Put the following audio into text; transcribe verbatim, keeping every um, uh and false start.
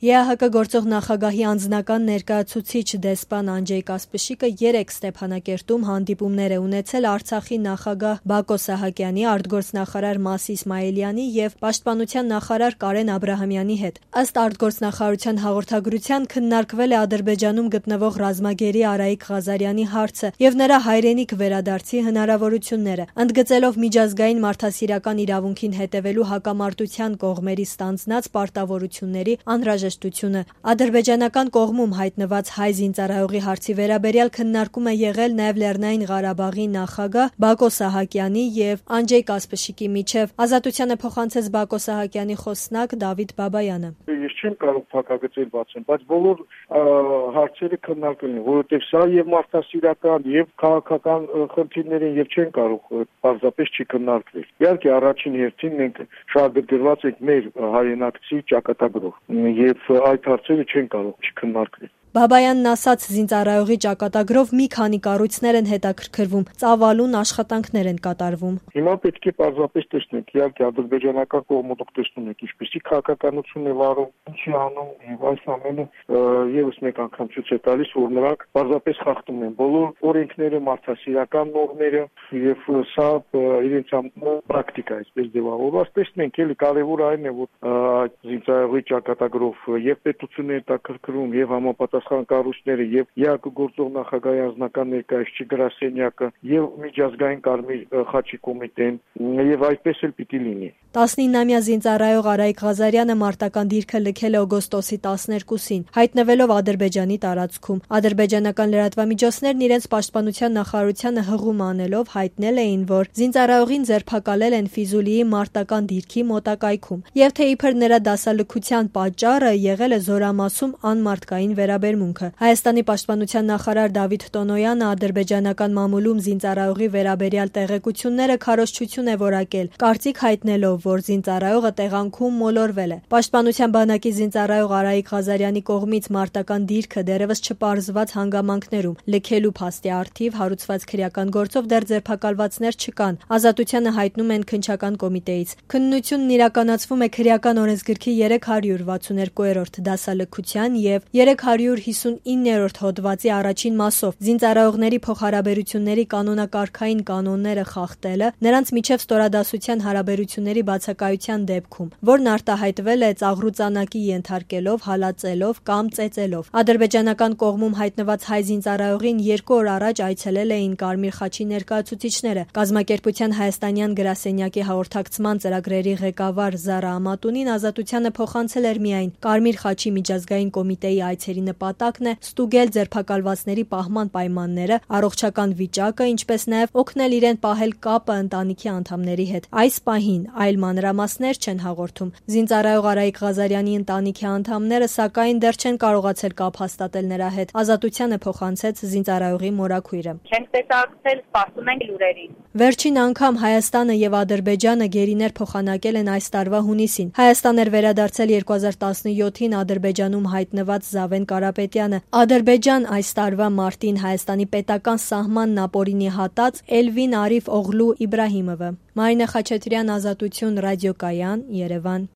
Է Ա Հ Կ գործող նախագահի անձնական ներկայացուցիչ դեսպան Անջեյ Կասպշիկը երեկ Ստեփանակերտում հանդիպումներ է ունեցել Արցախի նախագահ Բակո Սահակյանի, արտգործնախարար Մաս Իսմայիլյանի եւ պաշտպանության նախարար Կարեն Աբրահամյանի հետ։ Ըստ արտգործնախարարության հաղորդագրության քննարկվել է Ադրբեջանում գտնվող ռազմագերի Արայիկ Ղազարյանի հարցը եւ նրա հայրենիք վերադարձի հնարավորությունները, ընդգծելով միջազգային մարդասիրական իրավունքին հետևելու հակամարտության կողմերի ստանձնած պարտավորությունների անհրաժեշտությունը։ Ադրբեջանական կողմում հայտնված հայ զինծառայողի հարցի վերաբերյալ քննարկում է եղել նաեւ Լեռնային Ղարաբաղի նախագահ Բակո Սահակյանի եւ Անջեյ Կասպշիկի միջեւ։ Ազատությանը փոխանցեց Բակո Սահակյանի խոսնակ Դավիթ Բաբայանը։ Ես չեմ կարող փակագծել բացեմ, բայց բոլոր հարցերը քննարկել են, որովհետեւ սա եւ մարդասիրական եւ քաղաքական խնդիրներ են եւ չեն կարող պարզապես չքննարկվել։ Իհարկե առաջին հերթին մենք շահագրգռված ենք մեր հայրենակցի ճակատագրով եւ այդ հարցերը չեն կարող չքննարկվել։ Բաբայանն ասաց, զինծառայողի ճակատագրով մի քանի կառույցներ են հետաքրքրվում, ծավալուն աշխատանքներ են կատարվում։ Հիմա պետք է պարզապես տեսնենք, իհարկե ադրբեջանական կողմը դուք տեսնում եք, ինչպեսի քաղաքականություն է վարում, ինչի անում եւ այս ամենը եւս մեկ անգամ ցույց է տալիս, որ նրանք պարզապես խախտում են բոլոր օրենքները, մարդասիրական նորմերը եւ սա իրենց պրակտիկա է, այսպես ձևավորված։ Տեսնենք, էլի կարեւոր այն է, որ այդ զինծառայողի ճակատագրով եւ պետությունը հետաքրքրում եւ համապատասխան կառույցները եւ Է Ա Հ Կ գործող նախագահի անձնական ներկայացուցիչ գրասենյակը եւ միջազգային Կարմիր խաչի կոմիտեն եւ այդպես էլ պիտի լինի։ տասնինամյա զինծառայող Արայիկ Ղազարյանը մարտական դիրքը լքել է օգոստոսի տասներկուսին, հայտնվելով Ադրբեջանի տարածքում։ Ադրբեջանական լրատվամիջոցներն իրենց պաշտպանության նախարարությանը հղում անելով հայտնել էին, որ զինծառայողին ձերբակալել են Ֆիզուլիի մարտական դիրքի մոտակայքում եւ թե իբր նրա դասալքության պատճառը եղել է զորամասում անմարտկային վերաբերմունքը։ Հայաստանի պաշտպանության նախարար Դավիթ Տոնոյանը ադրբեջանական մամուլում զինծառայողի վերաբերյալ տեղեկությունները քարոզչություն է որակել, կարծիք հայտնելով, որ զինծառայողը տեղանքում մոլորվել է։ Պաշտպանության բանակի զինծառայող Արայիկ Ղազարյանի կողմից մարտական դիրքը դեռևս չպարզված հանգամանքներում լքելու փաստի առթիվ հարուցված քրեական գործով դեռ ձերբակալվածներ չկան։ Ազատությանը հայտնում են քննչական կոմիտեից։ Քննությունն իրականացվում է քրեական օրենսգրքի երեք հարյուր վաթսունհինգերորդ դասալքության եւ երեք հարյուր հիսունիններորդ հոդվածի առաջին մասով զինծառայողների փոխհարաբերությունների կանոնակարգային կանոնները խախտելը, նրանց միջև ստորադասության հարաբերությունների բացակայության դեպքում, որն արտահայտվել է ծաղրուծանակի ենթարկելով, հալածելով կամ ծեծելով։ Ադրբեջանական կողմում հայտնված հայ զինծառայողին երկու օր առաջ այցելել էին Կարմիր խաչի ներկայացուցիչները։ Կազմակերպության հայաստանյան գրասենյակի հաղորդակցման ծրագրերի ղեկավար Զարա Ամատունին ազատությանը փոխանցել էր միայն Կարմիր խաչի միջազգային կոմիտեի այցերի նպատակն է ստուգել ձերբակալվածների պահման պայմանները, առողջական վիճակը, ինչպես նաև օգնել իրեն պահել կապը ընտանիքի անդամների հետ։ Այս պահին այլ մանրամասներ չեն հաղորդում։ Զինծառայող Արայիկ Ղազարյանի ընտանիքի անդամները սակայն դեռ չեն կարողացել կապ հաստատել նրա հետ։ Ազատությանը փոխանցեց զինծառայողի մորաքույրը։ Չենք տեսակցել, սպասում ենք լուրերին։ Վերջին անգամ Հայաստանը եւ Ադրբեջանը գերիներ փոխանակել են այս տարվա հունիսին։ Հայաստան էր վերադարձել երկու հազար տասնյոթին Ադրբեջանում հայտնված Զավեն Կարապետյանը։ Ադրբեջան այս տարվա մարտին Հայաստանի պետական սահմանն ապօրինի հատած Էլվին Արիֆ Օղլու Իբրահիմովը։ Մարինե Խաչատրյան, Ազատություն, ռադիոկայան, Երևան։